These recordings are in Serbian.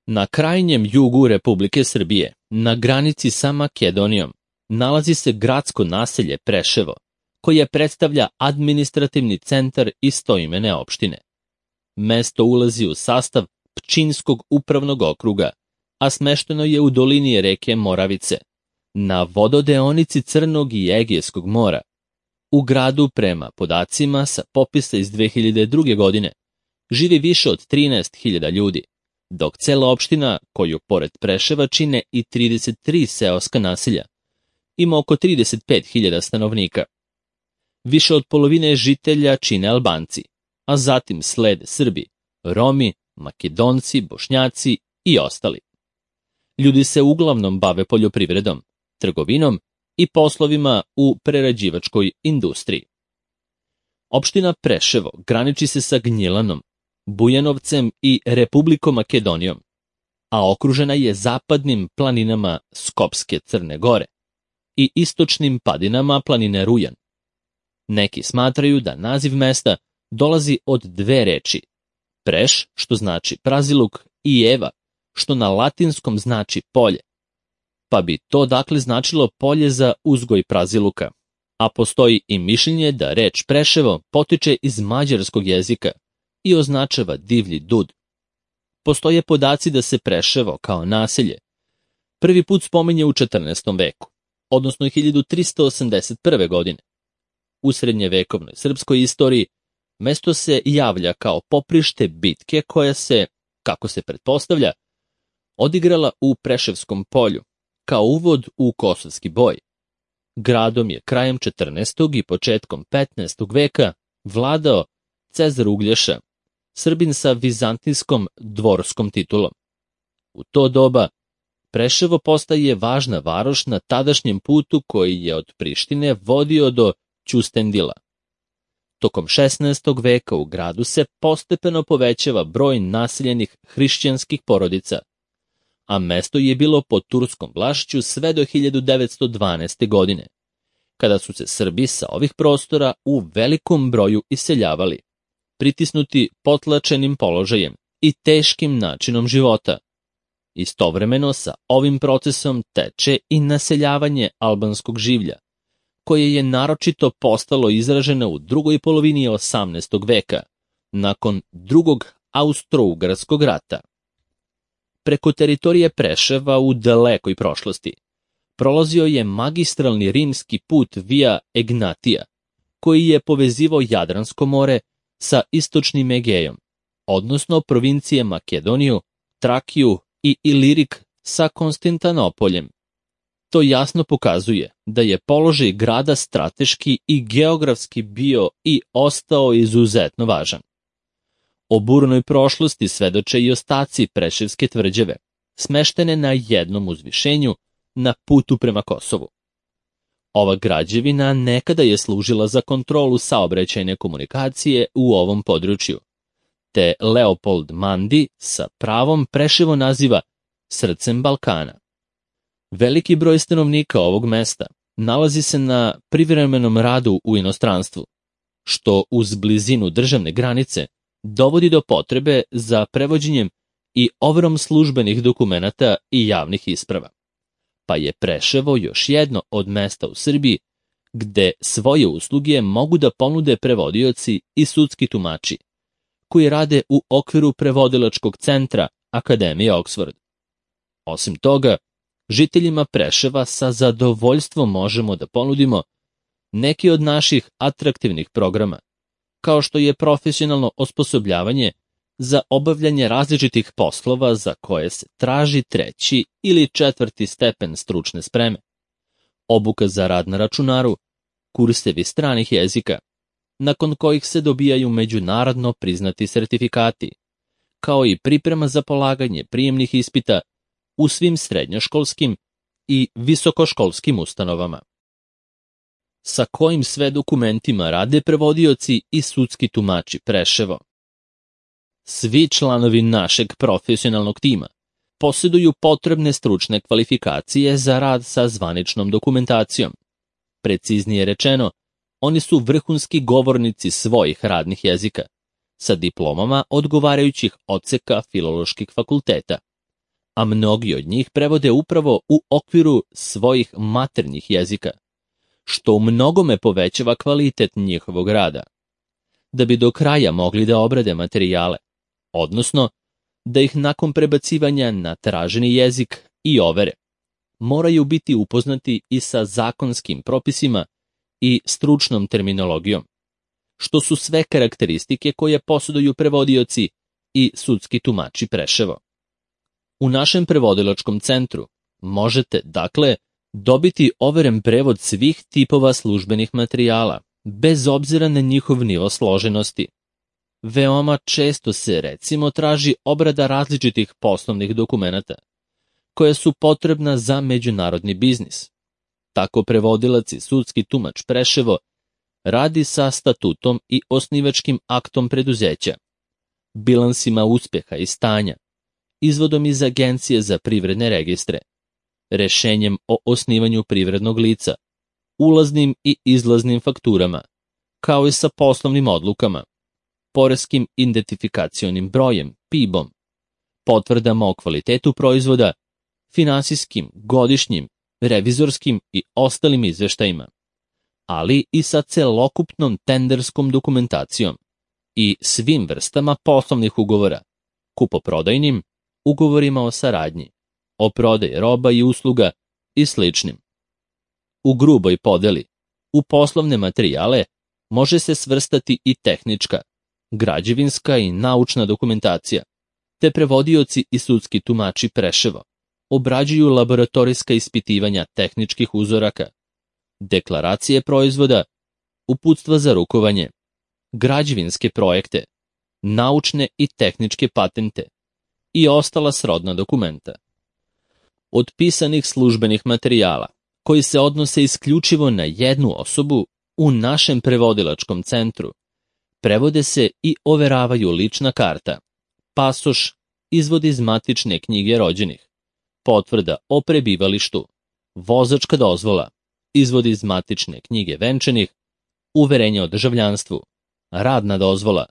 Na krajnjem jugu Republike Srbije, na granici sa Makedonijom, nalazi se gradsko naselje Preševo, koje predstavlja administrativni centar istoimene opštine. Mesto ulazi u sastav Pčinjskog upravnog okruga, a smešteno je u dolini reke Moravice, na vododeonici Crnog i Egejskog mora. U gradu, prema podacima sa popisa iz 2002. godine, živi više od 13.000 ljudi, dok cela opština, koju pored Preševa čine i 33 seoska naselja, ima oko 35.000 stanovnika. Više od polovine žitelja čine Albanci, a zatim slede Srbi, Romi, Makedonci, Bošnjaci i ostali. Ljudi se uglavnom bave poljoprivredom, trgovinom i poslovima u prerađivačkoj industriji. Opština Preševo graniči se sa Gnjilanom, Bujanovcem i Republikom Makedonijom, a okružena je zapadnim planinama Skopske Crne Gore i istočnim padinama planine Rujan. Neki smatraju da naziv mesta dolazi od dve reči, Preš, što znači praziluk, i Eva, što na latinskom znači polje, pa bi to dakle značilo polje za uzgoj praziluka, a postoji i mišljenje da reč Preševo potiče iz mađarskog jezika i označava divlji dud. Postoje podaci da se Preševo kao naselje prvi put spominje u 14. veku, odnosno 1381. godine. U srednjevekovnoj srpskoj istoriji mesto se javlja kao poprište bitke koja se, kako se pretpostavlja, odigrala u Preševskom polju, kao uvod u kosovski boj. Gradom je krajem 14. i početkom 15. veka vladao Cezar Uglješa, Srbin sa vizantijskom dvorskom titulom. U to doba Preševo postaje važna varoš na tadašnjem putu koji je od Prištine vodio do Ćustendila. Tokom 16. veka u gradu se postepeno povećava broj naseljenih hrišćanskih porodica, a mesto je bilo pod turskom vlašću sve do 1912. godine, kada su se Srbi sa ovih prostora u velikom broju iseljavali, pritisnuti potlačenim položajem i teškim načinom života. Istovremeno sa ovim procesom teče i naseljavanje albanskog življa, koje je naročito postalo izraženo u drugoj polovini 18. veka, nakon drugog Austro-Ugarskog rata. Preko teritorije Preševa u dalekoj prošlosti prolazio je magistralni rimski put Via Egnatia, koji je povezivao Jadransko more sa istočnim Egejom, odnosno provincije Makedoniju, Trakiju i Ilirik sa Konstantinopoljem. To jasno pokazuje da je položaj grada strateški i geografski bio i ostao izuzetno važan. O burnoj prošlosti svedoče i ostaci Preševske tvrđave, smeštene na jednom uzvišenju na putu prema Kosovu. Ova građevina nekada je služila za kontrolu saobraćajne komunikacije u ovom području, te Leopold Mandi sa pravom Preševo naziva srcem Balkana. Veliki broj stanovnika ovog mesta nalazi se na privremenom radu u inostranstvu, što uz blizinu državne granice dovodi do potrebe za prevođenjem i overom službenih dokumenata i javnih isprava. Pa je Preševo još jedno od mesta u Srbiji gde svoje usluge mogu da ponude prevodioci i sudski tumači, koji rade u okviru prevodilačkog centra Akademije Oxford. Osim toga, žiteljima Preševa sa zadovoljstvom možemo da ponudimo neki od naših atraktivnih programa, kao što je profesionalno osposobljavanje za obavljanje različitih poslova za koje se traži 3. ili 4. stepen stručne spreme, obuka za rad na računaru, kursevi stranih jezika, nakon kojih se dobijaju međunarodno priznati sertifikati, kao i priprema za polaganje prijemnih ispita u svim srednjoškolskim i visokoškolskim ustanovama. Sa kojim sve dokumentima rade prevodioci i sudski tumači Preševo? Svi članovi našeg profesionalnog tima posjeduju potrebne stručne kvalifikacije za rad sa zvaničnom dokumentacijom. Preciznije rečeno, oni su vrhunski govornici svojih radnih jezika, sa diplomama odgovarajućih odseka filoloških fakulteta, a mnogi od njih prevode upravo u okviru svojih maternjih jezika, što u mnogome povećava kvalitet njihovog rada. Da bi do kraja mogli da obrade materijale, odnosno da ih nakon prebacivanja na traženi jezik i overe, moraju biti upoznati i sa zakonskim propisima i stručnom terminologijom, što su sve karakteristike koje posjeduju prevodioci i sudski tumači Preševo. U našem prevodilačkom centru možete, dakle, dobiti overen prevod svih tipova službenih materijala, bez obzira na njihov nivo složenosti. Veoma često se, recimo, traži obrada različitih poslovnih dokumenata, koja su potrebna za međunarodni biznis. Tako prevodilac i sudski tumač Preševo radi sa statutom i osnivačkim aktom preduzeća, bilansima uspeha i stanja, izvodom iz Agencije za privredne registre, rešenjem o osnivanju privrednog lica, ulaznim i izlaznim fakturama, kao i sa poslovnim odlukama, poreskim identifikacionim brojem, PIB-om, potvrdama o kvalitetu proizvoda, finansijskim, godišnjim, revizorskim i ostalim izveštajima, ali i sa celokupnom tenderskom dokumentacijom i svim vrstama poslovnih ugovora, kupoprodajnim, ugovorima o saradnji, o prodaji roba i usluga i sličnim. U gruboj podeli, u poslovne materijale može se svrstati i tehnička, građevinska i naučna dokumentacija, te prevodioci i sudski tumači Preševo obrađuju laboratorijska ispitivanja tehničkih uzoraka, deklaracije proizvoda, uputstva za rukovanje, građevinske projekte, naučne i tehničke patente i ostala srodna dokumenta. Od pisanih službenih materijala, koji se odnose isključivo na jednu osobu, u našem prevodilačkom centru prevode se i overavaju lična karta, pasoš, izvod iz matične knjige rođenih, potvrda o prebivalištu, vozačka dozvola, izvod iz matične knjige venčanih, uverenje o državljanstvu, radna dozvola,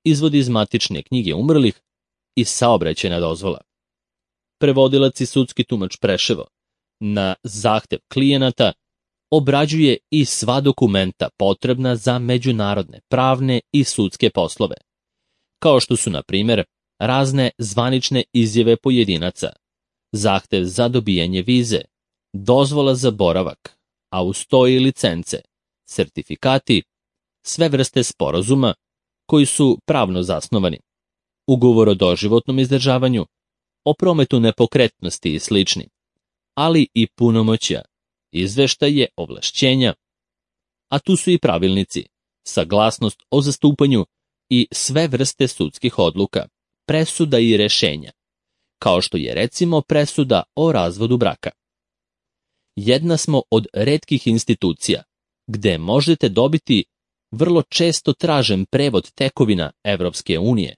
izvod iz matične knjige umrlih i saobraćajna dozvola. Prevodilac i sudski tumač Preševo na zahtev klijenata obrađuje i sva dokumenta potrebna za međunarodne, pravne i sudske poslove, kao što su, na primjer, razne zvanične izjave pojedinaca, zahtev za dobijanje vize, dozvola za boravak, a uz to i licence, sertifikati, sve vrste sporazuma koji su pravno zasnovani, ugovor o doživotnom izdržavanju, o prometu nepokretnosti i slični, ali i punomoćja, izveštaje, ovlašćenja, a tu su i pravilnici, saglasnost o zastupanju i sve vrste sudskih odluka, presuda i rešenja, kao što je recimo presuda o razvodu braka. Jedna smo od retkih institucija gde možete dobiti vrlo često tražen prevod tekovina Evropske unije,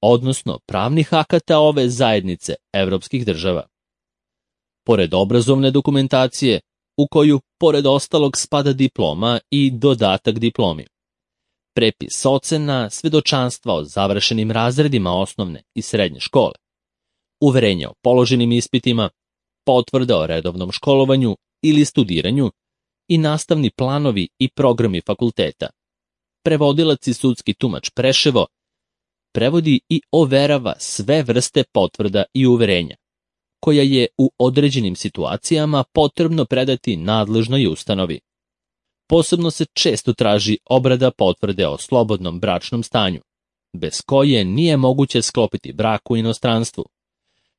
odnosno pravnih akata ove zajednice evropskih država. Pored obrazovne dokumentacije, u koju, pored ostalog, spada diploma i dodatak diplomi, prepis ocena, svedočanstva o završenim razredima osnovne i srednje škole, uverenja o položenim ispitima, potvrda o redovnom školovanju ili studiranju i nastavni planovi i programi fakulteta. Prevodilac i sudski tumač Preševo prevodi i overava sve vrste potvrda i uverenja, koja je u određenim situacijama potrebno predati nadležnoj ustanovi. Posebno se često traži obrada potvrde o slobodnom bračnom stanju, bez koje nije moguće sklopiti brak u inostranstvu,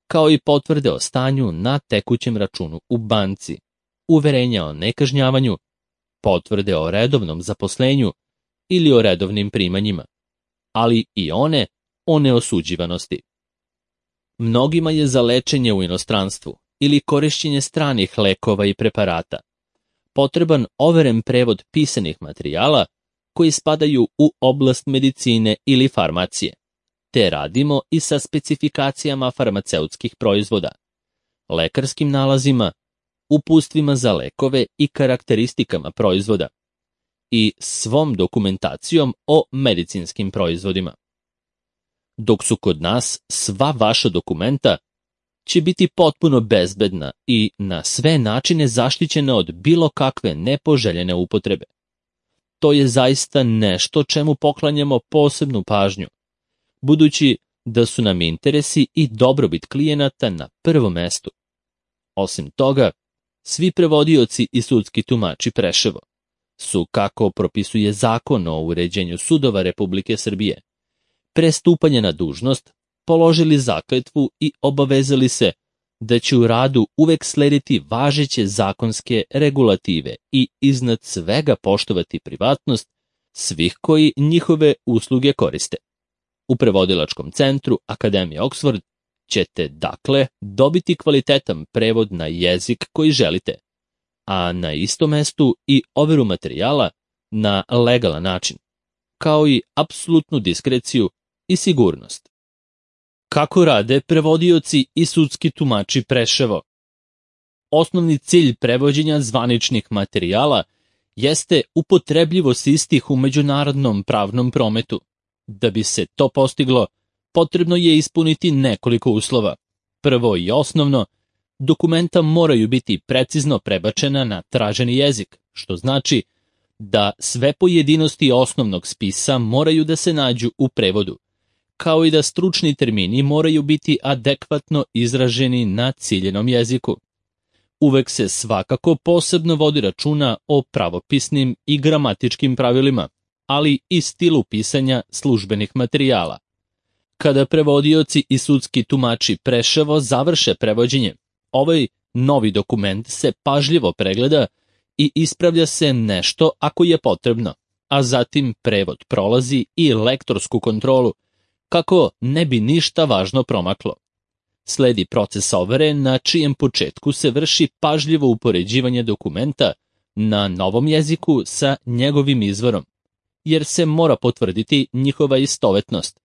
kao i potvrde o stanju na tekućem računu u banci, uverenja o nekažnjavanju, potvrde o redovnom zaposlenju ili o redovnim primanjima, ali i one o neosuđivanosti. Mnogima je za lečenje u inostranstvu ili korišćenje stranih lekova i preparata potreban overen prevod pisanih materijala koji spadaju u oblast medicine ili farmacije, te radimo i sa specifikacijama farmaceutskih proizvoda, lekarskim nalazima, uputstvima za lekove i karakteristikama proizvoda i svom dokumentacijom o medicinskim proizvodima. Dok su kod nas sva vaša dokumenta, će biti potpuno bezbedna i na sve načine zaštićena od bilo kakve nepoželjene upotrebe. To je zaista nešto čemu poklanjamo posebnu pažnju, budući da su nam interesi i dobrobit klijenata na prvom mestu. Osim toga, svi prevodioci i sudski tumači Preševo su, kako propisuje Zakon o uređenju sudova Republike Srbije, pre stupanja na dužnost položili zakletvu i obavezali se da će u radu uvek slediti važeće zakonske regulative i iznad svega poštovati privatnost svih koji njihove usluge koriste. U prevodilačkom centru Akademije Oxford ćete, dakle, dobiti kvalitetan prevod na jezik koji želite, a na istom mestu i overu materijala na legalan način, kao i apsolutnu diskreciju i sigurnost. Kako rade prevodioci i sudski tumači Preševo? Osnovni cilj prevođenja zvaničnih materijala jeste upotrebljivost istih u međunarodnom pravnom prometu. Da bi se to postiglo, potrebno je ispuniti nekoliko uslova. Prvo i osnovno, dokumenta moraju biti precizno prebačena na traženi jezik, što znači da sve pojedinosti osnovnog spisa moraju da se nađu u prevodu, kao i da stručni termini moraju biti adekvatno izraženi na ciljenom jeziku. Uvek se svakako posebno vodi računa o pravopisnim i gramatičkim pravilima, ali i stilu pisanja službenih materijala. Kada prevodioci i sudski tumači Preševo završe prevođenje, ovaj novi dokument se pažljivo pregleda i ispravlja se nešto ako je potrebno, a zatim prevod prolazi i lektorsku kontrolu, kako ne bi ništa važno promaklo. Sledi proces overe na čijem početku se vrši pažljivo upoređivanje dokumenta na novom jeziku sa njegovim izvorom, jer se mora potvrditi njihova istovetnost,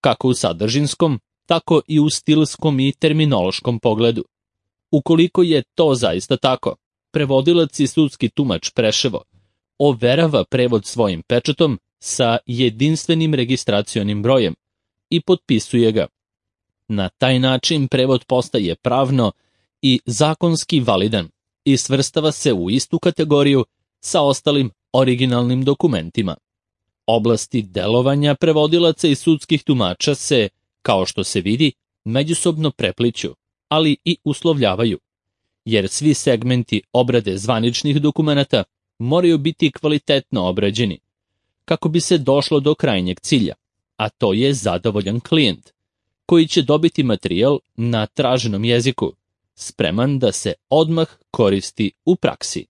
kako u sadržinskom, tako i u stilskom i terminološkom pogledu. Ukoliko je to zaista tako, prevodilac i sudski tumač Preševo overava prevod svojim pečatom sa jedinstvenim registracionim brojem i potpisuje ga. Na taj način prevod postaje pravno i zakonski validan i svrstava se u istu kategoriju sa ostalim originalnim dokumentima. Oblasti delovanja prevodilaca i sudskih tumača se, kao što se vidi, međusobno prepliću, ali i uslovljavaju, jer svi segmenti obrade zvaničnih dokumenata moraju biti kvalitetno obrađeni, kako bi se došlo do krajnjeg cilja, a to je zadovoljan klijent, koji će dobiti materijal na traženom jeziku, spreman da se odmah koristi u praksi.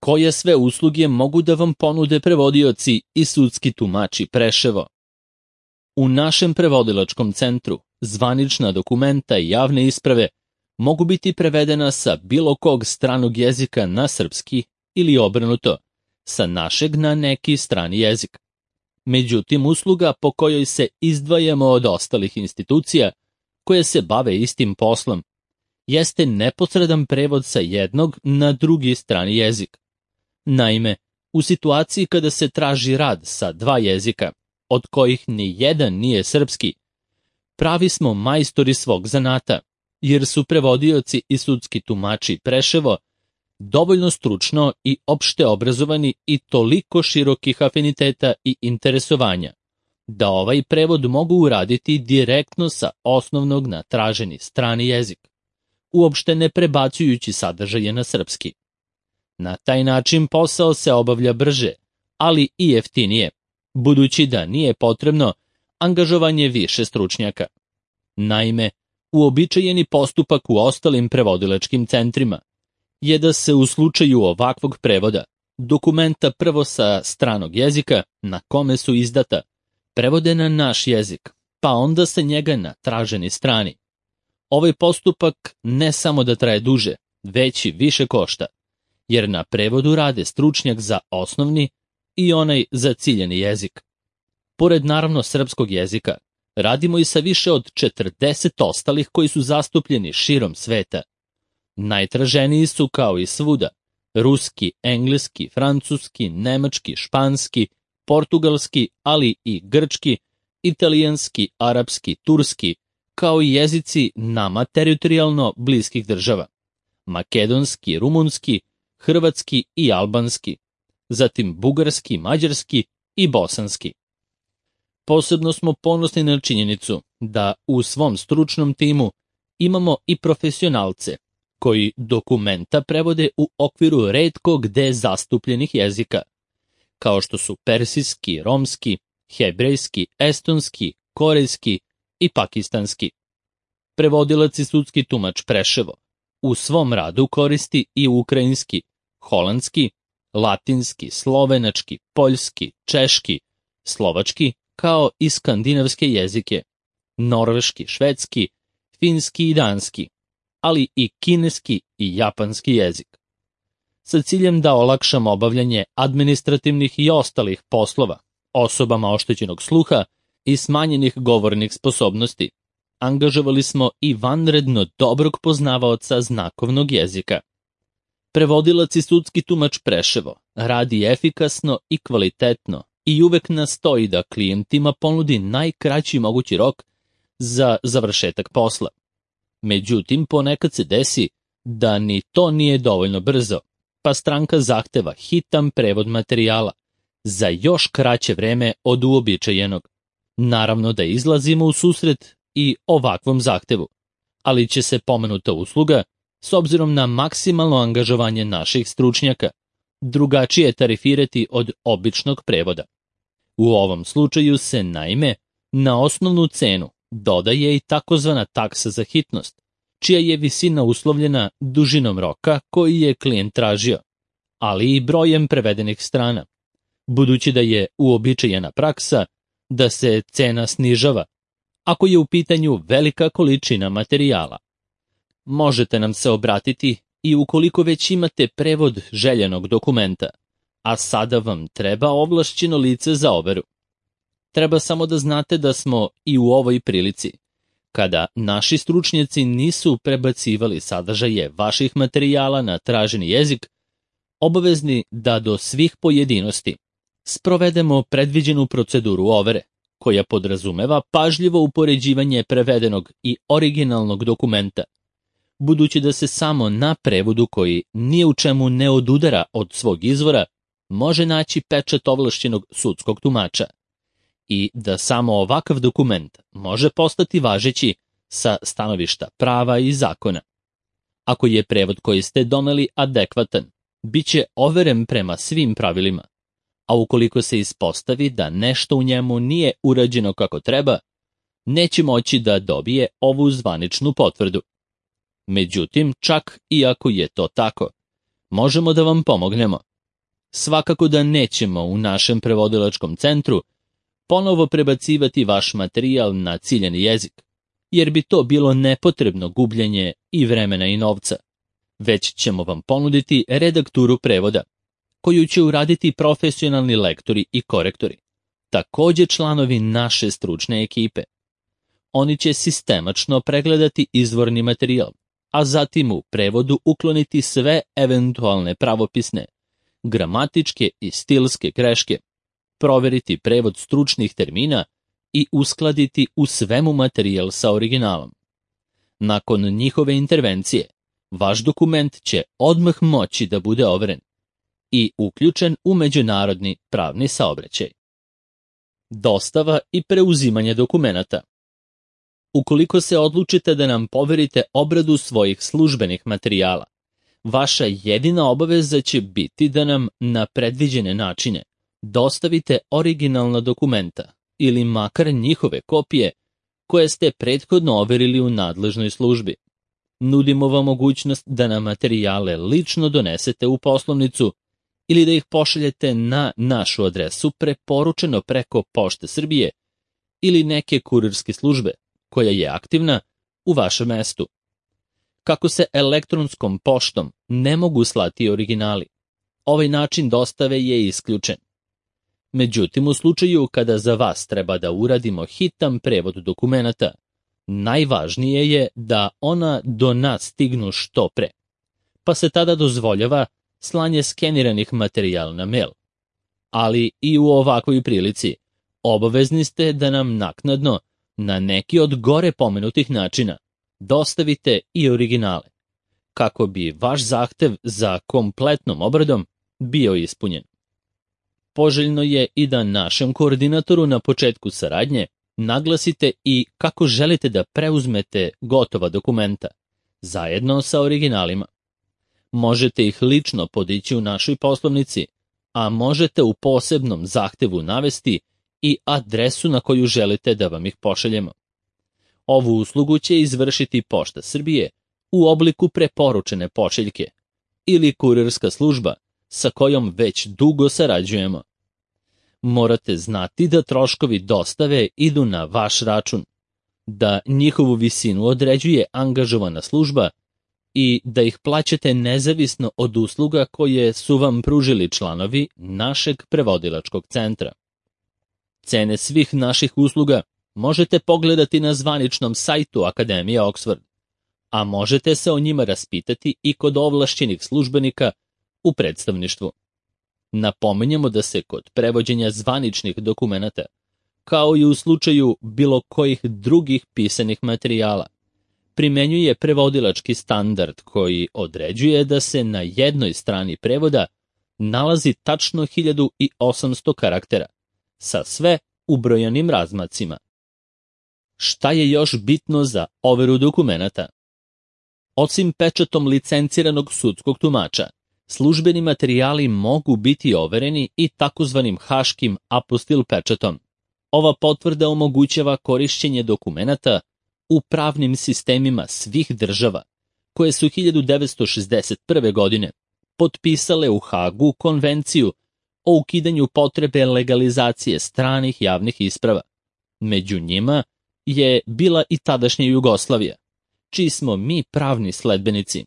Koje sve usluge mogu da vam ponude prevodioci i sudski tumači Preševo? U našem prevodilačkom centru zvanična dokumenta i javne isprave mogu biti prevedena sa bilo kog stranog jezika na srpski ili obrnuto, sa našeg na neki strani jezik. Međutim, usluga po kojoj se izdvajamo od ostalih institucija koje se bave istim poslom jeste neposredan prevod sa jednog na drugi strani jezik. Naime, u situaciji kada se traži rad sa dva jezika, od kojih ni jedan nije srpski, pravi smo majstori svog zanata, jer su prevodioci i sudski tumači Preševo dovoljno stručno i opšte obrazovani i toliko širokih afiniteta i interesovanja, da ovaj prevod mogu uraditi direktno sa osnovnog na traženi strani jezik, uopšte ne prebacujući sadržaje na srpski. Na taj način posao se obavlja brže, ali i jeftinije, budući da nije potrebno angažovanje više stručnjaka. Naime, uobičajeni postupak u ostalim prevodilačkim centrima je da se u slučaju ovakvog prevoda dokumenta prvo sa stranog jezika na kome su izdata prevode na naš jezik, pa onda sa njega na traženi strani. Ovaj postupak ne samo da traje duže, već i više košta, jer na prevodu rade stručnjak za osnovni i onaj za ciljeni jezik. Pored naravno srpskog jezika, radimo i sa više od 40 ostalih koji su zastupljeni širom sveta. Najtraženiji su, kao i svuda, ruski, engleski, francuski, nemački, španski, portugalski, ali i grčki, italijanski, arapski, turski, kao i jezici nama teritorijalno bliskih država: makedonski, rumunski, hrvatski i albanski, zatim bugarski, mađarski i bosanski. Posebno smo ponosni na činjenicu da u svom stručnom timu imamo i profesionalce koji dokumenta prevode u okviru retko gde zastupljenih jezika, kao što su persijski, romski, hebrejski, estonski, korejski i pakistanski. Prevodilac i sudski tumač Preševo u svom radu koristi i ukrajinski, holandski, latinski, slovenački, poljski, češki, slovački, kao i skandinavske jezike, norveški, švedski, finski i danski, ali i kineski i japanski jezik, sa ciljem da olakšamo obavljanje administrativnih i ostalih poslova osobama oštećenog sluha i smanjenih govornih sposobnosti. Angažovali smo i vanredno dobrog poznavaoca znakovnog jezika. Prevodilac i sudski tumač Preševo radi efikasno i kvalitetno i uvek nastoji da klijentima ponudi najkraći mogući rok za završetak posla. Međutim, ponekad se desi da ni to nije dovoljno brzo, pa stranka zahteva hitan prevod materijala za još kraće vreme od uobičajenog. Naravno da izlazimo u susret i ovakvom zahtevu, ali će se pomenuta usluga, s obzirom na maksimalno angažovanje naših stručnjaka, drugačije tarifirati od običnog prevoda. U ovom slučaju se, naime, na osnovnu cenu dodaje i takozvana taksa za hitnost, čija je visina uslovljena dužinom roka koji je klijent tražio, ali i brojem prevedenih strana, budući da je uobičajena praksa da se cena snižava ako je u pitanju velika količina materijala. Možete nam se obratiti i ukoliko već imate prevod željenog dokumenta, a sada vam treba ovlašćeno lice za overu. Treba samo da znate da smo i u ovoj prilici, kada naši stručnjaci nisu prebacivali sadržaje vaših materijala na traženi jezik, obavezni da do svih pojedinosti sprovedemo predviđenu proceduru overe, koja podrazumeva pažljivo upoređivanje prevedenog i originalnog dokumenta, budući da se samo na prevodu koji ni u čemu ne odudara od svog izvora može naći pečat ovlašćenog sudskog tumača i da samo ovakav dokument može postati važeći sa stanovišta prava i zakona. Ako je prevod koji ste doneli adekvatan, bit će overen prema svim pravilima, a ukoliko se ispostavi da nešto u njemu nije urađeno kako treba, neće moći da dobije ovu zvaničnu potvrdu. Međutim, čak i ako je to tako, možemo da vam pomognemo. Svakako da nećemo u našem prevodilačkom centru ponovo prebacivati vaš materijal na ciljani jezik, jer bi to bilo nepotrebno gubljenje i vremena i novca. Već ćemo vam ponuditi redakturu prevoda, koju će uraditi profesionalni lektori i korektori, također članovi naše stručne ekipe. Oni će sistemačno pregledati izvorni materijal, a zatim u prevodu ukloniti sve eventualne pravopisne, gramatičke i stilske greške, proveriti prevod stručnih termina i uskladiti u svemu materijal sa originalom. Nakon njihove intervencije, vaš dokument će odmah moći da bude overen i uključen u međunarodni pravni saobraćaj. Dostava i preuzimanje dokumenata. Ukoliko se odlučite da nam poverite obradu svojih službenih materijala, vaša jedina obaveza će biti da nam na predviđene načine dostavite originalna dokumenta ili makar njihove kopije koje ste prethodno overili u nadležnoj službi. Nudimo vam mogućnost da nam materijale lično donesete u poslovnicu ili da ih pošaljete na našu adresu preporučeno preko Pošte Srbije ili neke kurirske službe koja je aktivna u vašem mestu. Kako se elektronskom poštom ne mogu slati originali, ovaj način dostave je isključen. Međutim, u slučaju kada za vas treba da uradimo hitan prevod dokumenata, najvažnije je da ona do nas stignu što pre, pa se tada dozvoljava slanje skeniranih materijala na mail. Ali i u ovakvoj prilici obavezni ste da nam naknadno na neki od gore pomenutih načina dostavite i originale, kako bi vaš zahtev za kompletnom obradom bio ispunjen. Poželjno je i da našem koordinatoru na početku saradnje naglasite i kako želite da preuzmete gotova dokumenta, zajedno sa originalima. Možete ih lično podići u našoj poslovnici, a možete u posebnom zahtevu navesti i adresu na koju želite da vam ih pošaljemo. Ovu uslugu će izvršiti Pošta Srbije u obliku preporučene pošiljke ili kurirska služba sa kojom već dugo sarađujemo. Morate znati da troškovi dostave idu na vaš račun, da njihovu visinu određuje angažovana služba i da ih plaćate nezavisno od usluga koje su vam pružili članovi našeg prevodilačkog centra. Cene svih naših usluga možete pogledati na zvaničnom sajtu Akademije Oxford, a možete se o njima raspitati i kod ovlašćenih službenika u predstavništvu. Napominjemo da se kod prevođenja zvaničnih dokumenata, kao i u slučaju bilo kojih drugih pisanih materijala, primenjuje prevodilački standard koji određuje da se na jednoj strani prevoda nalazi tačno 1800 karaktera, sa sve ubrojanim razmacima. Šta je još bitno za overu dokumenata? Osim pečatom licenciranog sudskog tumača, službeni materijali mogu biti overeni i takozvanim haškim apostil pečatom. Ova potvrda omogućava korišćenje dokumenata u pravnim sistemima svih država, koje su 1961. godine potpisale u Hagu konvenciju o ukidanju potrebe legalizacije stranih javnih isprava. Među njima je bila i tadašnja Jugoslavija, čiji smo mi pravni sledbenici,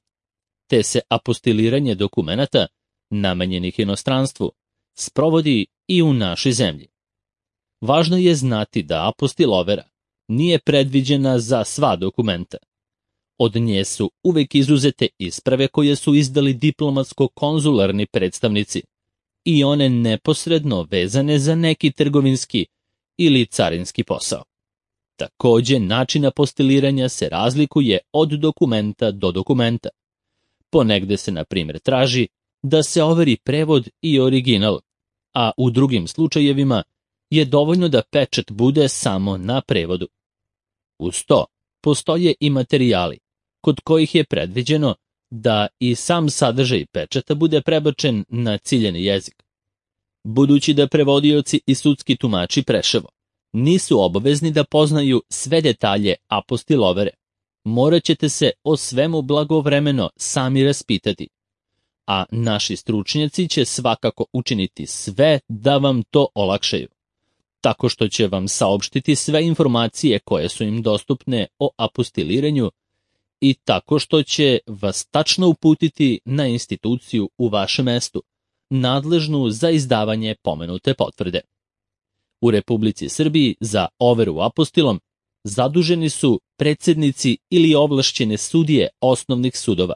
te se apostiliranje dokumenata namenjenih inostranstvu sprovodi i u našoj zemlji. Važno je znati da apostil overa nije predviđena za sva dokumenta. Od nje su uvek izuzete isprave koje su izdali diplomatsko-konzularni predstavnici i one neposredno vezane za neki trgovinski ili carinski posao. Takođe, način apostiliranja se razlikuje od dokumenta do dokumenta. Ponegde se, na primjer, traži da se overi prevod i original, a u drugim slučajevima je dovoljno da pečat bude samo na prevodu. Uz to, postoje i materijali kod kojih je predviđeno da i sam sadržaj pečata bude prebačen na ciljani jezik. Budući da prevodioci i sudski tumači Preševo nisu obavezni da poznaju sve detalje apostil overe, morat ćete se o svemu blagovremeno sami raspitati, a naši stručnjaci će svakako učiniti sve da vam to olakšaju, tako što će vam saopštiti sve informacije koje su im dostupne o apostiliranju i tako što će vas tačno uputiti na instituciju u vašem mestu, nadležnu za izdavanje pomenute potvrde. U Republici Srbiji za overu apostilom zaduženi su predsednici ili ovlašćene sudije osnovnih sudova,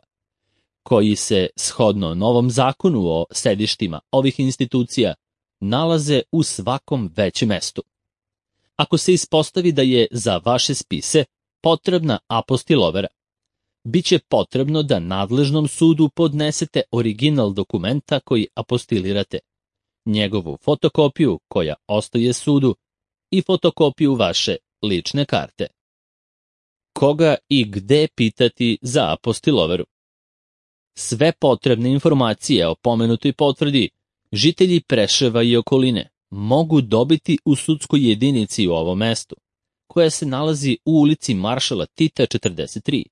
koji se, shodno novom zakonu o sedištima ovih institucija, nalaze u svakom većem mestu. Ako se ispostavi da je za vaše spise potrebna apostil overa, bit će potrebno da nadležnom sudu podnesete original dokumenta koji apostilirate, njegovu fotokopiju koja ostaje sudu i fotokopiju vaše lične karte. Koga i gde pitati za apostil overu? Sve potrebne informacije o pomenutoj potvrdi žitelji Preševa i okoline mogu dobiti u sudskoj jedinici u ovom mestu, koja se nalazi u ulici Maršala Tita 43,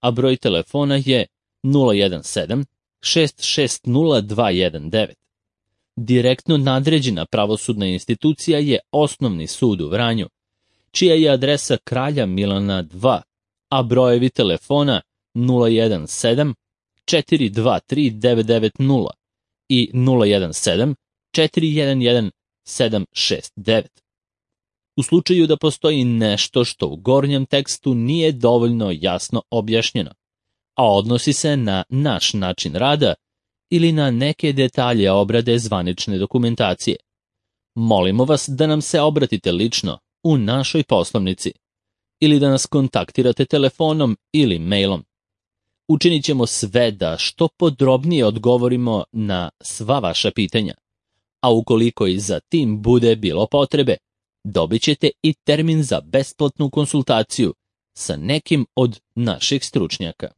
a broj telefona je 017 660 219. Direktno nadređena pravosudna institucija je Osnovni sud u Vranju, čija je adresa Kralja Milana 2, a brojevi telefona 017 423 990 i 017 411 769. U slučaju da postoji nešto što u gornjem tekstu nije dovoljno jasno objašnjeno, a odnosi se na naš način rada ili na neke detalje obrade zvanične dokumentacije, molimo vas da nam se obratite lično u našoj poslovnici ili da nas kontaktirate telefonom ili mailom. Učinit ćemo sve da što podrobnije odgovorimo na sva vaša pitanja, a ukoliko i za tim bude bilo potrebe, dobit ćete i termin za besplatnu konsultaciju sa nekim od naših stručnjaka.